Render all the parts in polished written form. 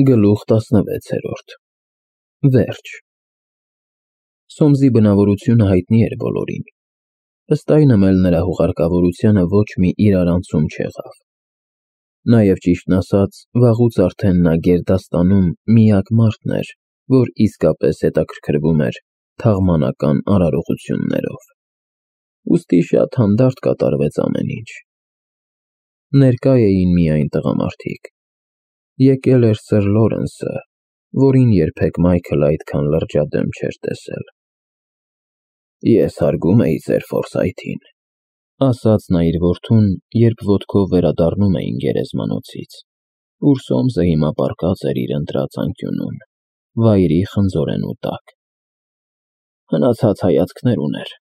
Գլուխ 16 Վերջ Սոմսի բնավորությունը հայտնի էր բոլորին, ըստ այնմ էլ նրա հուղարկավորությանը ոչ մի իրարանցում չեղավ։ Նաև ճիշտն ասած, վաղուց արդեն նա գերդաստանում միակ մարդն էր, որ իսկապես հետաքրքրվում էր թաղմանական արարողություններով։ Ուստի շատ հանդարտ կատարվեց ամեն ինչ։ Ներկա էին միայն տղամարդիկ։ Եկել էր Սըր Լորենսը, որին երբեք Մայքլը այդքան լրջադեմ չէր տեսել։ Ես հարգում էի ձեր Ֆորսայթին, ասաց նա իր որդուն, երբ ոտքով վերադառնում էին գերեզմանոցից, ուր Սոմսը հիմա պառկած էր իր ընտրած անկյունում, վայրի խնձորենու տակ։ Հնացած հայացքներ ուներ,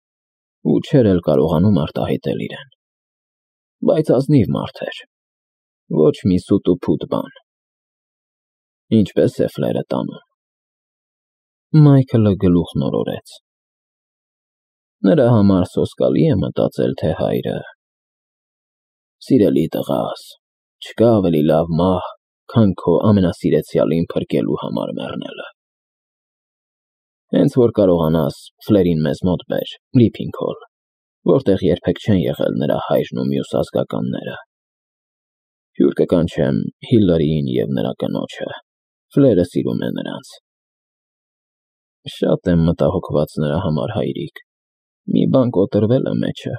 ու չէր էլ կարողանում արտահայտել իրեն։ Բայց ազնիվ մարդ էր, ոչ մի սուտ ու փուտ բան։ Ինչպես է Ֆլերը տանում։ Մայքլը գլուխն օրորեց։ Նրա համար սոսկալի է մտածել, թե հայրը… Սիրելի տղաս, չկա ավելի լավ մահ, քան քո ամենասիրեցյալին փրկելու համար մեռնելը։ Հենց որ կարողանաս, Ֆլերին մեզ մոտ բեր, Լիփինգհոլ, որտեղ երբեք չեն եղել նրա հայրն ու մյուս ազգականները։ Հյուր կկանչեմ Հիլարիին և նրա կնոջը, Ֆլերը սիրում է նրանց։ Շատ եմ մտահոգված նրա համար, հայրիկ, մի բան կոտրվել է մեջը։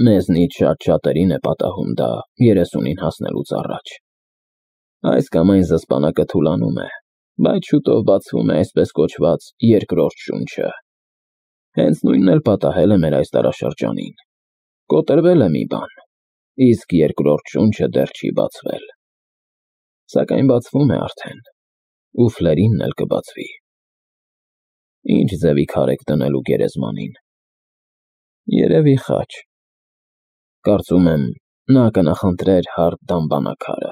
Մեզնից շատ-շատերին է պատահում դա 30-ին հասնելուց առաջ։ Այս կամ այն զսպանակը թուլանում է, բայց շուտով բացվում է այսպես կոչված երկրորդ շունչը։ Հենց նույնն էլ պատահել է մեր այս դարաշրջանին։ Կոտրվել է մի բան, իսկ երկրորդ շունչը դեռ չի բացվել։ Սակայն բացվում է արդեն, ու Ֆլերինն էլ կբացվի։ Ինչ ձևի քար եք դնելու գերեզմանին։ Երևի խաչ։ Կարծում եմ, նա կնախընտրեր հարթ դամբանաքարը,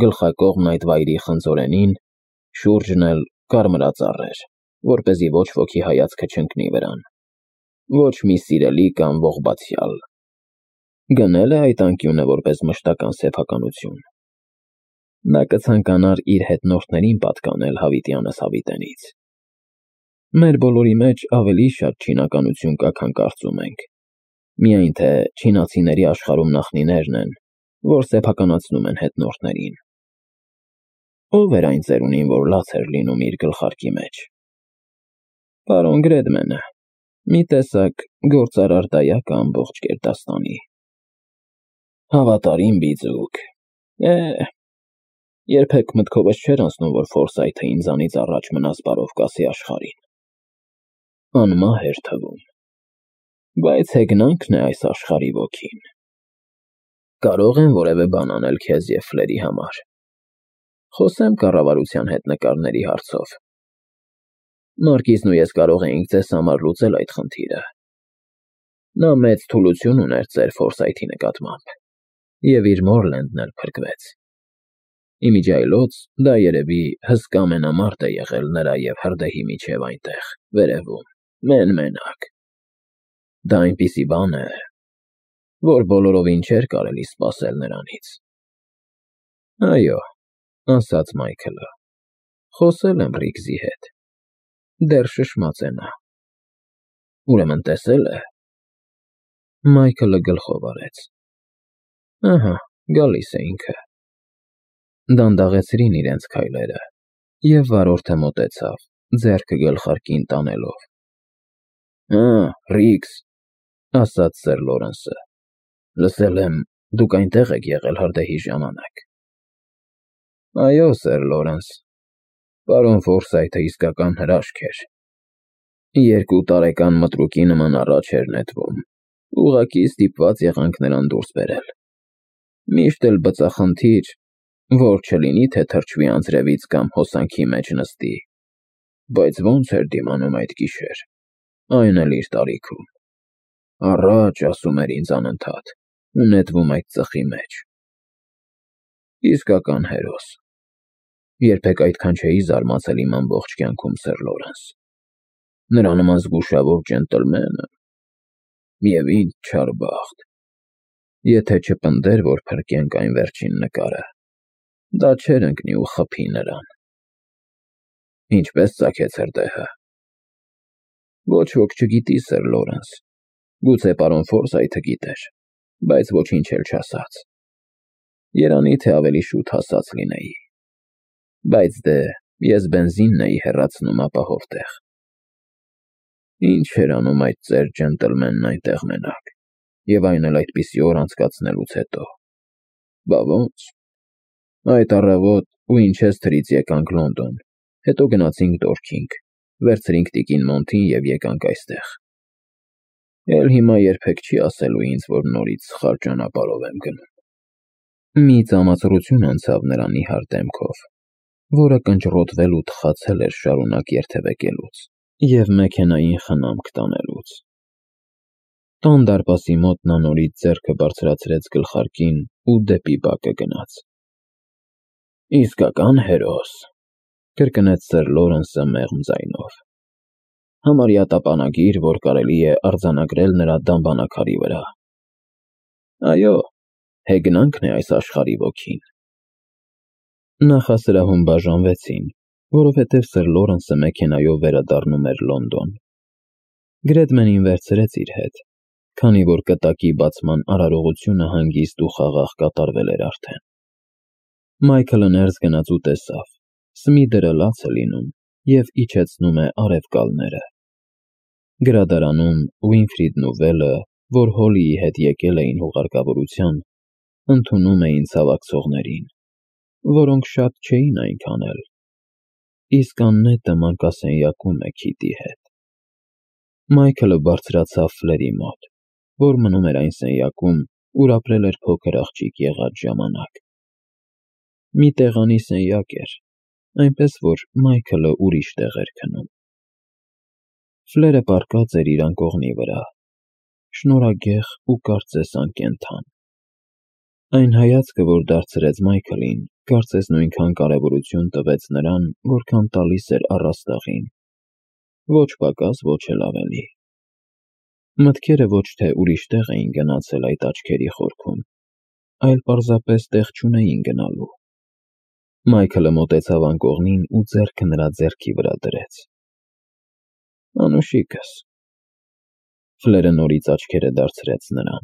գլխակողմն այդ վայրի խնձորենին, շուրջն էլ կարմրածառեր, որպեսզի ոչ ոքի հայացքը չընկնի վրան, ոչ մի սիրելի կամ ողբացյալ։ Գնել է այդ անկյունը որպես մշտական սեփականություն։ Նա կցանկանար իր հետնորդներին պատկանել հավիտյանս հավիտենից։ Մեր բոլորի մեջ ավելի շատ չինականություն կա, քան կարծում ենք, միայն թե չինացիների աշխարհում նախնիներն են, որ սեփականացնում են հետնորդներին։ Ո՞վ էր այն ծերունին, որ լաց էր լինում իր գլխարկի մեջ։ Պարոն Գրեդմենը, մի տեսակ գործարար դայակ ամբողջ Գերդաստանի։ Հավատարիմ բիձուկ։ Երբեք մտքովս չէր անցնում, որ Ֆորսայթը ինձանից առաջ մնաս բարով կասի աշխարհին։ Անմահ էր թվում։ Բայց հեգնանքն է այս աշխարհի ոգին։ Կարող եմ որևէ բան անել քեզ և Ֆլերի համար։ Խոսեմ կառավարության հետ նկարների հարցով։ Մարկիզն ու ես կարող էինք ձեզ համար լուծել այդ խնդիրը։ Նա մեծ թուլություն ուներ ձեր Ֆորսայթի նկատմամբ, և իր Մորլենդն էլ փրկվեց։ Իմիջիայլոց դա երևի հսկա մենամարտ է եղել նրա և հրդեհի միջև այնտեղ, վերևում, մեն-մենակ։ Դա այնպիսի բան է, որ բոլորովին չէր կարելի սպասել նրանից։ Այո, ասաց Մայքլը, խոսել եմ Ռիգզի հետ։ Դեռ շշմած է նա։ Ուրեմն տեսել է։ Մայքլը գլխով արեց։ Ահա, գալիս է ինքը։ Դանդաղեցրին իրենց քայլերը, և վարորդը մոտեցավ, ձեռքը գլխարկին տանելով։ Ռիգզ, ասաց Սըր Լորենսը, լսել եմ, դուք այնտեղ եք եղել հրդեհի ժամանակ։ Այո, Սըր Լորենս, պարոն Ֆորսայթը իսկական հրաշք էր։ 2 տարեկան մտրուկի նման առաջ էր նետվում, ուղղակի ստիպված եղանք նրան դուրս բերել։ Միշտ էլ բծախնդիր, որ չլինի, թե թրջվի անձրևից կամ հոսանքի մեջ նստի, բայց ոնց էր դիմանում այդ գիշեր, այն էլ իր տարիքում։ Առաջ, ասում էր ինձ անընդհատ, ու նետվում այդ ծխի մեջ։ Իսկական հերոս։ Երբեք այդքան չէի զարմացել իմ ամբողջ կյանքում, Սըր Լորենս։ Նրա նման զգուշավոր ջենտլմենը… Եվ ինչ չար բախտ։ Եթե չպնդեր, որ փրկենք այն վերջին նկարը, Դա չէր ընկնի ու խփի նրան։ Ինչպես ծագեց հրդեհը։ Ոչ ոք չգիտի, սեր Լորենս։ Գուցե պարոն Ֆորսայթը գիտեր, բայց ոչինչ էլ չասաց։ Երանի թե ավելի շուտ հասած լինեի։ Բայց դե, ես բենզինն էի հեռացնում ապահով տեղ։ Ինչ էր անում այդ ծեր ջենտլմենն այնտեղ մենակ, և այն էլ այդպիսի օր անցկացնելուց հետո։ Բա ոնց։ Այդ առավոտ Ուինչեսթրից եկանք Լոնդոն, հետո գնացինք Դորքինգ, վերցրինք տիկին Մոնթին և եկանք այստեղ։ Էլ հիմա երբեք չի ասելու ինձ, որ նորից սխալ ճանապարհով եմ գնում։ Մի ծամացրություն անցավ նրա նիհար դեմքով, որը կնճռոտվել ու թխացել էր շարունակ երթևեկելուց և մեքենային խնամք տանելուց։ Տան դարպասի մոտ նա նորից ձեռքը բարձրացրեց գլխարկին ու դեպի բակը գնաց։ Իսկական հերոս, կրկնեց սեր Լորենսը մեղմ ձայնով։ Համարյա տապանագիր, որ կարելի է արձանագրել նրա դամբանակարի վրա։ Այո, հեգնանքն է այս աշխարհի ոգին։ Նախասրահում բաժանվեցին, որովհետև սեր Լորենսը մեքենայով վերադառնում էր Լոնդոն։ Գրեդմենին վերցրեց իր հետ, քանի որ կտակի բացման արարողությունը հանգիստ ու խաղաղ կատարվել էր արդեն։ Մայքլը ներս գնաց ու տեսավ. Սմիդերը լաց է լինում և իջեցնում է արևկալները։ Գրադարանում Ուինֆրիդն ու Վելը, որ Հոլիի հետ եկել էին հուղարկավորության, ընդունում էին ցավակցողներին, որոնք շատ չէին այնքան էլ, իսկ աննետը մանկասենյակում է Քիթի հետ։ Մայքլը բարձրացավ Ֆլերի մոտ, որ մնում էր այն սենյակում, ուր ապրել էր փոքր աղջիկ եղած ժամանակ։ Մի տեղանի սենյակ էր, այնպես որ Մայքլը ուրիշ տեղ էր քնում։ Ֆլերը պառկած էր իր անկողնի վրա, շնորհագեղ ու կարծես անկենդան։ Այն հայացքը, որ դարձրեց Մայքլին, կարծես նույնքան կարևորություն տվեց նրան, որքան տալիս էր առաստաղին։ Ոչ պակաս, ոչ էլ ավելի։ Մտքերը ոչ թե ուրիշ տեղ էին գնացել այդ աչքերի խորքում, այլ պարզապես տեղ չունեին գնալու։ Մայքլը մոտեցավ անկողնին ու ձեռքը նրա ձեռքի վրա դրեց։ Անուշիկս։ Ֆլերը նորից աչքերը դարձրեց նրան,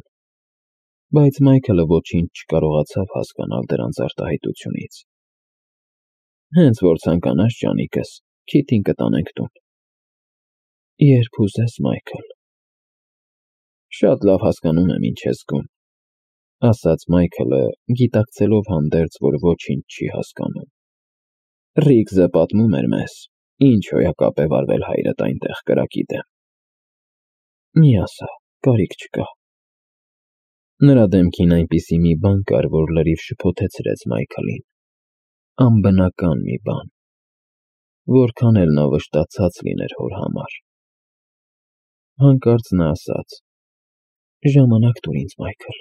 բայց Մայքլը ոչինչ չկարողացավ հասկանալ դրանց արտահայտությունից։ Հենց որ ցանկանաս, ջանիկս, Քիթին կտանենք տուն։ Երբ ուզես, Մայքլ։ Շատ լավ հասկանում եմ, ինչ ես զգում, ասաց Մայքլը, գիտակցելով հանդերձ, որ ոչինչ չի հասկանում։ Ռիգզը պատմում էր մեզ, ինչ հոյակապ է վարվել հայրդ այնտեղ կրակի դեմ։ Մի ասա, կարիք չկա։ Նրա դեմքին այնպիսի մի բան կար, որ լրիվ շփոթեցրեց Մայքլին։ Անբնական մի բան, որքան էլ նա վշտացած լիներ հոր համար։ Հանկարծ նա ասաց. Ժամանակ տուր ինձ, Մայքլ։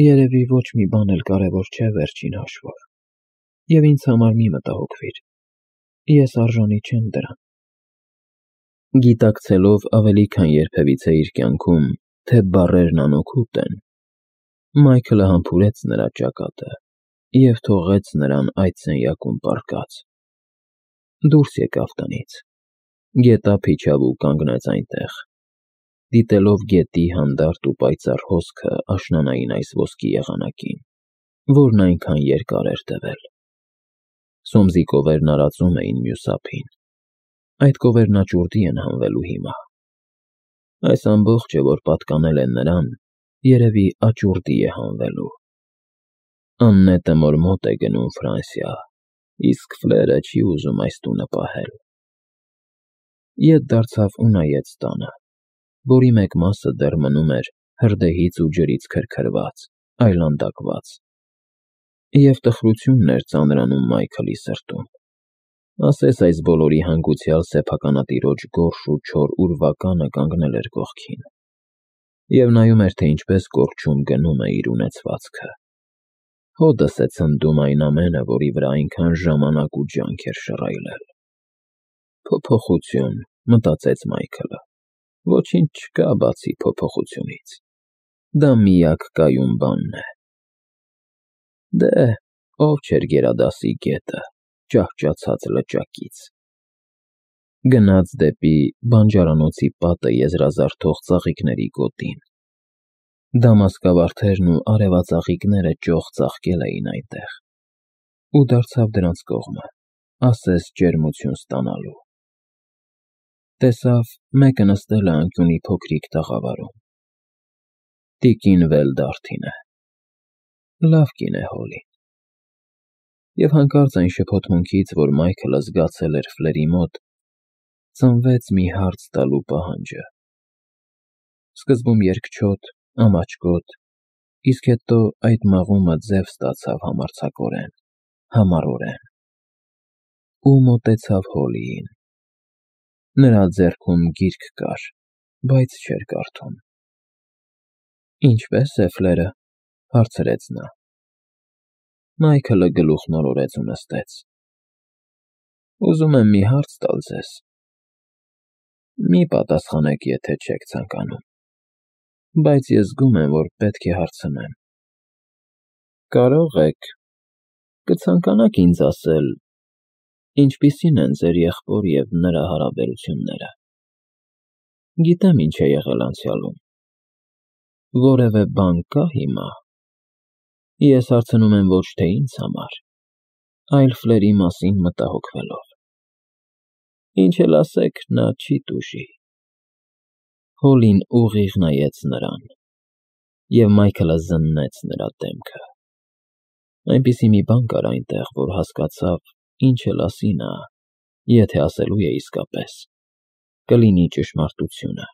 Երևի ոչ մի բան էլ կարևոր չէ վերջին հաշվով, և ինձ համար մի մտահոգվիր, ես արժանի չեմ դրան։ Գիտակցելով ավելի քան երբևիցե իր կյանքում, թե բառերն անօգուտ են, Մայքլը համբուրեց նրա ճակատը և թողեց նրան այդ սենյակում պառկած։ Դուրս եկավ տնից, գետափ իջավ ու կանգնեց այնտեղ, դիտելով գետի հանդարտ ու պայծառ հոսքը աշնանային այս ոսկի եղանակին, որն այնքան երկար էր տևել։ Սոմսի կովերն արածում էին մյուս ափին։ Այդ կովերնաճուռդի են հանվելու հիմա։ Այս ամբողջը, որ պատկանել են նրան, երևի աճուրդի է հանվելու։ Աննետը մորմոտ է գնում Ֆրանսիա, իսկ Ֆլերը չի ուզում այս տունը պահել։ Ետ դարձավ ու նայեց տանը, որի մեկ մասը դեռ մնում էր հրդեհից ու ջրից քրքրված, այլանդակված։ Եվ տխրությունն էր ծանրանում Մայքլի սրտում։ Ասես այս բոլորի հանգուցյալ սեփականատիրոջ գորշ ու չոր ուրվականը կանգնել էր կողքին և նայում էր, թե ինչպես կորչում գնում է իր ունեցվածքը։ Հօդս է ցնդում այն ամենը, որի վրա այնքան ժամանակ ու ջանք էր շռայլել։ Փոփոխություն, մտածեց Մայքլը, ոչինչ չկա բացի փոփոխությունից։ Դա միակ կայուն բանն է։ Դե, ով չէր գերադասի գետը, ճահճացած լճակից։ Գնաց դեպի բանջարանոցի պատը եզրազարդող ծաղիկների գոտին։ Դամասկավարդերն ու արևածաղիկները ճոխ ծաղկել էին այնտեղ, ու դարձավ դրանց կողմը, ասես ջերմություն ստանալու։ Տեսավ մեկը նստել է անկյունի փոքրիկ տաղավարում։ Տիկին Վելդարթին է։ Լավ կին է Հոլին։ Եվ հանկարծ այն շփոթմունքից, որ Մայքլը զգացել էր Ֆլերի մոտ, ծնվեց մի հարց տալու պահանջը։ Սկզբում երկչոտ, ամաչկոտ, իսկ հետո այդ մաղումը ձև ստացավ համարձակորեն, համառորեն, ու մոտեցավ Հոլիին։ Նրա ձեռքում գիրք կար, բայց չէր կարդում։ Ինչպե՞ս է Ֆլերը, հարցրեց նա։ Մայքլը գլուխն օրորեց ու նստեց։ Ուզում եմ մի հարց տալ ձեզ։ Մի պատասխանեք, եթե չեք ցանկանում, բայց ես զգում եմ, որ պետք է հարցնեմ։ Կարող եք, կցանկանաք ինձ ասել, ինչպիսին են ձեր եղբոր և նրա հարաբերությունները։ Գիտեմ ինչ է եղել անցյալում։ Որևէ բան կա հիմա։ Ես հարցնում եմ ոչ թե ինձ համար, այլ Ֆլերի մասին մտահոգվելով։ Ինչ էլ ասեք, նա չի տուժի։ Հոլին ուղիղ նայեց նրան, և Մայքլը զննեց նրա դեմքը։ Այնպիսի մի բան կար այնտեղ, որ հասկացավ, ինչ էլ ասի նա, եթե ասելու է իսկապես, կլինի ճշմարտությունը։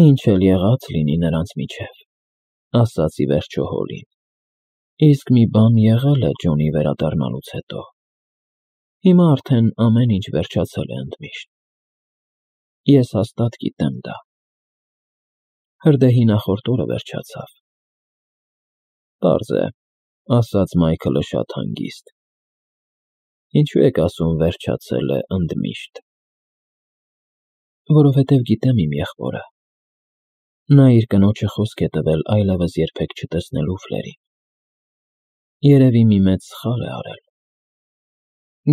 Ինչ էլ եղած լինի նրանց միջև, ասաց ի վերջո Հոլին, իսկ մի բան եղել է Ջոնի վերադառնալուց հետո։ Հիմա արդեն ամեն ինչ վերջացել է ընդմիշտ։ Ես հաստատ գիտեմ դա։ Հրդեհի նախորդ օրը վերջացավ։ Պարզ է, ասաց Մայքլը շատ հանգիստ։ Ինչու եք ասում վերջացել է ընդմիշտ։ Որովհետև գիտեմ իմ եղբորը։ Նա իր կնոջը խոսք է տվել այլևս երբեք չտեսնելու Ֆլերին։ Երևի մի մեծ սխալ է արել։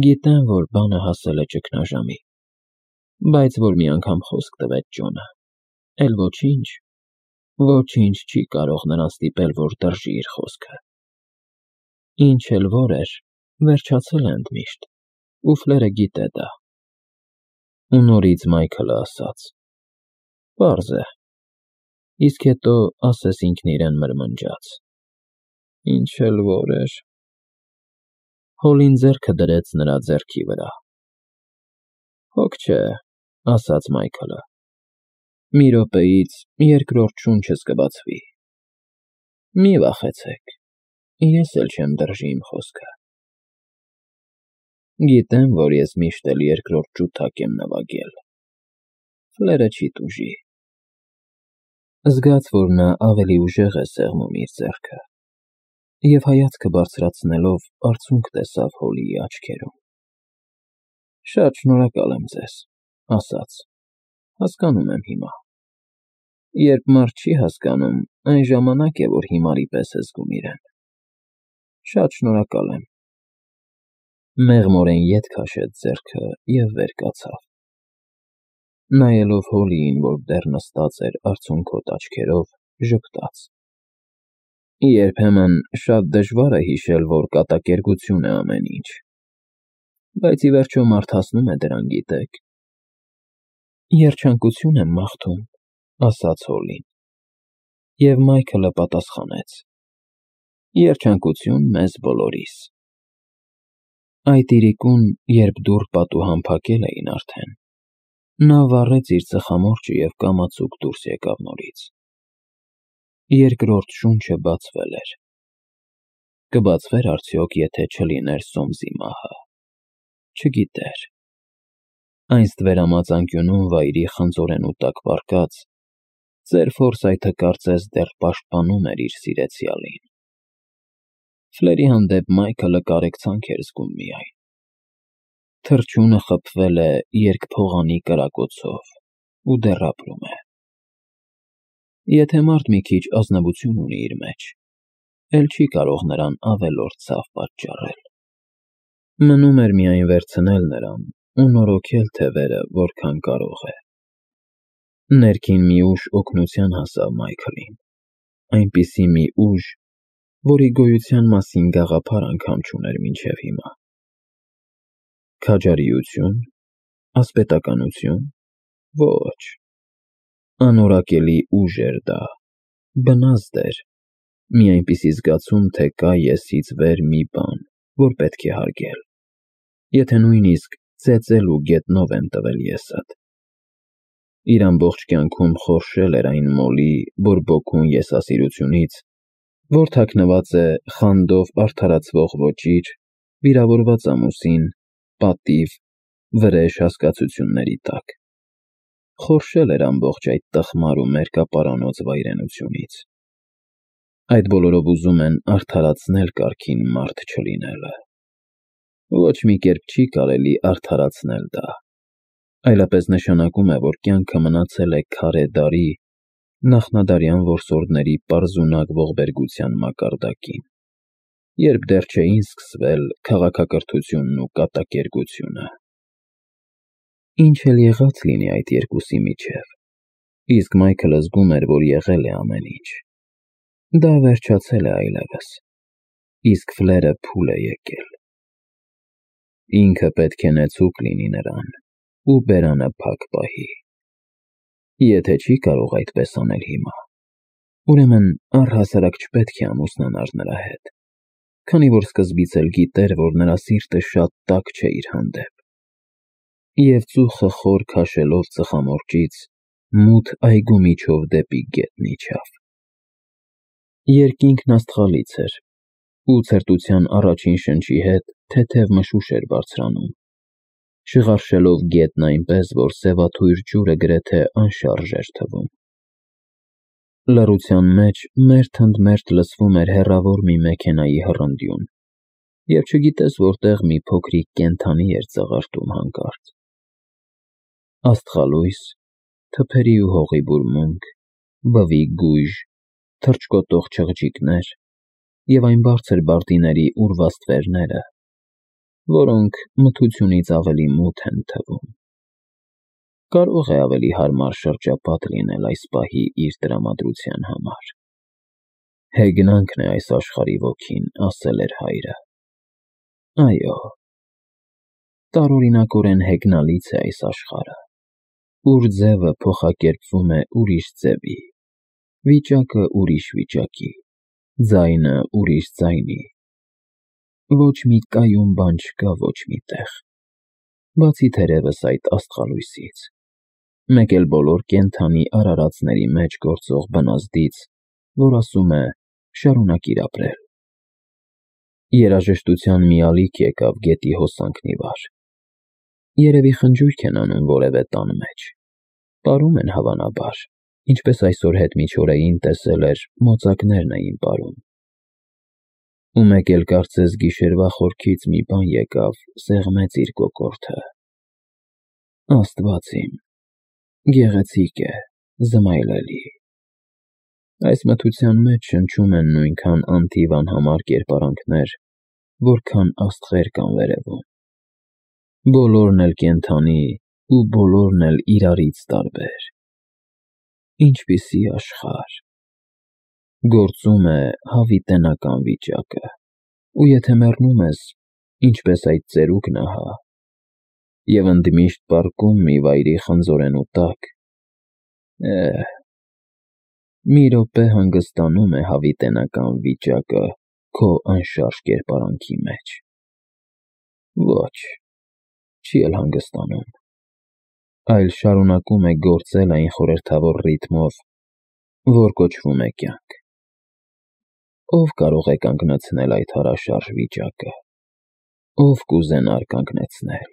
Գիտեմ, որ բանը հասել է ճգնաժամի, բայց որ մի անգամ խոսք տվեց Ջոնը, էլ ոչինչ չի կարող նրան ստիպել, որ դրժի իր խոսքը։ Ինչ էլ որ էր, վերջացել է ընդմիշտ, ու Ֆլերը գիտե դա։ Ու նորից Մայքլը ասաց. Պարզ է։ Իսկ հետո ասես ինքն իրեն մրմնջաց. Ինչ էլ որ էր։ Հոլին ձեռքը դրեց նրա ձեռքի վրա։ Հոգ չէ, ասաց Մայքլը։ Մի րոպեից երկրորդ շունչս կբացվի։ Մի վախեցեք, ես էլ չեմ դրժի իմ խոսքը։ Գիտեմ, որ ես միշտ էլ երկրորդ ջութակ եմ նվագել։ Ֆլերը չի տուժի։ Զգաց, որ նա ավելի ուժեղ է սեղմում իր ձեռքը, և հայացքը բարձրացնելով արցունք տեսավ Հոլիի աչքերում։ Շատ շնորհակալ եմ ձեզ, ասաց, հասկանում եմ հիմա։ Երբ մարդ չի հասկանում, այն ժամանակ է, որ հիմարի պես է զգում իրեն։ Շատ շնորհակալ եմ։ Մեղմորեն ետ քաշեց ձեռքը և վեր կացավ։ Նայելով Հոլիին, որ դեռ նստած էր արցունքոտ աչքերով, ժպտաց։ Երբեմն շատ դժվար է հիշել, որ կատակերգություն է ամեն ինչ, բայց ի վերջո մարդ հասնում է դրան, գիտեք։ Երջանկություն եմ մաղթում, ասաց Հոլին։ Եվ Մայքլը պատասխանեց. Երջանկություն մեզ բոլորիս։ Այդ իրիկուն, երբ դուռ պատուհան փակել էին արդեն, նա վառեց իր ծխամորճը և կամացուկ դուրս եկավ նորից։ Երկրորդ շունչը բացվել էր։ Կբացվեր արդյոք, եթե չլիներ Սոմսի մահը։ Չգիտեր։ Այն ստվերամած անկյունում վայրի խնձորենու տակ պառկած, ծեր Ֆորսայթը կարծես դեռ պաշտպանում էր իր սիրեցյալին։ Ֆլերի հանդեպ Մայքլը կարեկցանք էր զգում միայն։ Թռչյունը խփվել է երկփողանի կրակոցով ու դեռ ապրում է։ Եթե մարդ մի քիչ ազնվություն ունի իր մեջ, էլ չի կարող նրան ավելորդ ցավ պատճառել։ Մնում էր միայն վերցնել նրան ու նորոգել թևերը, որքան կարող է։ Ներքին մի ուժ օգնության հասավ Մայքլին, այնպիսի մի ուժ, որի գոյության մասին գաղափար անգամ չուներ մինչև հիմա։ Քաջարիություն, ասպետականություն, ոչ, անորակելի ուժ էր դա, բնազդ էր, մի այնպիսի զգացում, թե կա եսից վեր մի բան, որ պետք է հարգել, եթե նույնիսկ ծեծել ու գետնով եմ տվել եսդ։ Իր ամբողջ կյանքում խորշել էր այն մոլի բորբոքուն եսասիրությունից, որ թաքնված է խանդով արդարացվող ոճիր, վիրավորված ամուսին, պատիվ, վրեժ հասկացությունների տակ։ Խորշել էր ամբողջ այդ տխմար ու մերկապարանոց վայրենությունից։ Այդ բոլորով ուզում են արդարացնել կարգին մարդ չլինելը։ Ոչ մի կերպ չի կարելի արդարացնել դա, այլապես նշանակում է, որ կյանքը մնացել է քարե դարի, նախնադարյան որսորդների պարզունակ ողբերգության մակարդակին, երբ դեռ չէին սկսվել քաղաքակրթությունն ու կատակերգությունը։ Ինչ էլ եղած լինի այդ երկուսի միջև, իսկ Մայքլը զգում էր, որ եղել է ամեն ինչ։ Դա վերջացել է այլևս, իսկ Ֆլերը փուլ է եկել։ Ինքը պետք է նեցուկ լինի նրան ու բերանը փակ պահի։ Եթե չի կարող այդպես անել հիմա, ուրեմն առհասարակ չպետք է ամուսնանար նրա հետ, քանի որ սկզբից էլ գիտեր, որ նրա սիրտը շատ տաք չէ իր հանդեպ, և ծուխը խոր քաշելով ծխամորճից, մութ այգու միջով դեպի գետն իջավ։ Երկինքն աստղալից էր, ու ցրտության առաջին շնչի հետ թեթև մշուշ էր բարձրանում, շղարշելով գետն այնպես, որ սևաթույր ջուրը գրեթե անշարժ էր թվում։ Լռության մեջ մերթընդմերթ լսվում էր հեռավոր մի մեքենայի հռնդյուն, և չգիտես որտեղ մի փոքրիկ կենդանի էր ծաղրտում հանկարծ։ Աստղալույս, թփերի ու հողի բուրմունք, բվի գույժ, թռչկոտող չղջիկներ և այն բարձր բարտիների ուռված ստվերները, որոնք մթությունից ավելի մութ են թվում։ Կարող է ավելի հարմար շրջապատ լինել այս պահի իր տրամադրության համար։ Հեգնանքն է այս աշխարհի ոգին, ասել էր հայրը։ Այո, տարօրինակորեն հեգնալից է այս աշխարհը, ուր ձևը փոխակերպվում է ուրիշ ձևի, վիճակը ուրիշ վիճակի, ձայնը ուրիշ ձայնի։ Ոչ մի կայուն բան չկա ոչ մի տեղ, բացի թերևս այդ աստղալույսից, մեկ էլ բոլոր կենդանի արարածների մեջ գործող բնազդից, որ ասում է շարունակիր ապրել։ Երաժշտության մի ալիք եկավ գետի հոսանքն ի վար։ Երևի խնջույք են անում որևէ տան մեջ, պարում են հավանաբար, ինչպես այսօր հետմիջօրեին տեսել էր մոծակներն էին պարում։ Ու մեկ էլ կարծես գիշերվա խորքից մի բան եկավ, սեղմեց իր կոկորդը։ Աստված իմ, գեղեցիկ է, զմայլելի։ Այս մթության մեջ շնչում են նույնքան անթիվ անհամար կերպարանքներ, որքան աստղեր կան վերևում։ Բոլորն էլ կենդանի ու բոլորն էլ իրարից տարբեր։ Ինչպիսի աշխարհ։ Գործում է հավիտենական վիճակը, ու եթե մեռնում ես, ինչպես այդ ծերուկն ահա, և ընդմիշտ պառկում մի վայրի խնձորենու տակ, մի րոպե հանգստանում է հավիտենական վիճակը քո անշարժ կերպարանքի մեջ։ Ոչ, չի էլ հանգստանում, այլ շարունակում է գործել այն խորհրդավոր ռիթմով, որ կոչվում է կյանք։ Ով կարող է կանգնեցնել այդ հարաշարժ վիճակը, ով կուզենար կանգնեցնել։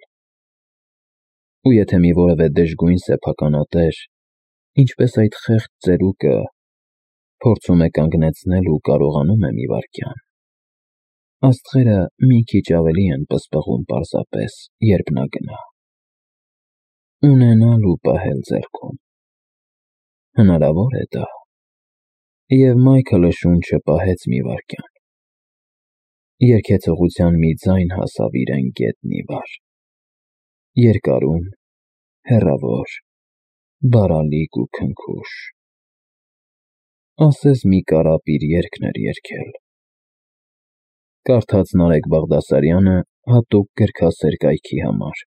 Ու եթե մի որևէ դժգույն սեփականատեր, ինչպես այդ խեղճ ծերուկը, փորձում է կանգնեցնել ու կարողանում է մի վայրկյան, աստղերը մի քիչ ավելի են պսպղում պարզապես, երբ նա գնա։ Ունենալ ու պահել ձեռքում։ Հնարավոր է դա։ Եվ Մայքլը շունչը պահեց մի վայրկյան։ Երգեցողության մի ձայն հասավ իրեն գետնի վար, երկարուն, հեռավոր, բարալիկ ու քնքուշ։ Ասես մի կարապիր երգն էր երգել։ Կարդաց Նարեկ Բաղդասարյանը հատուկ գրքասեր կայքի համար։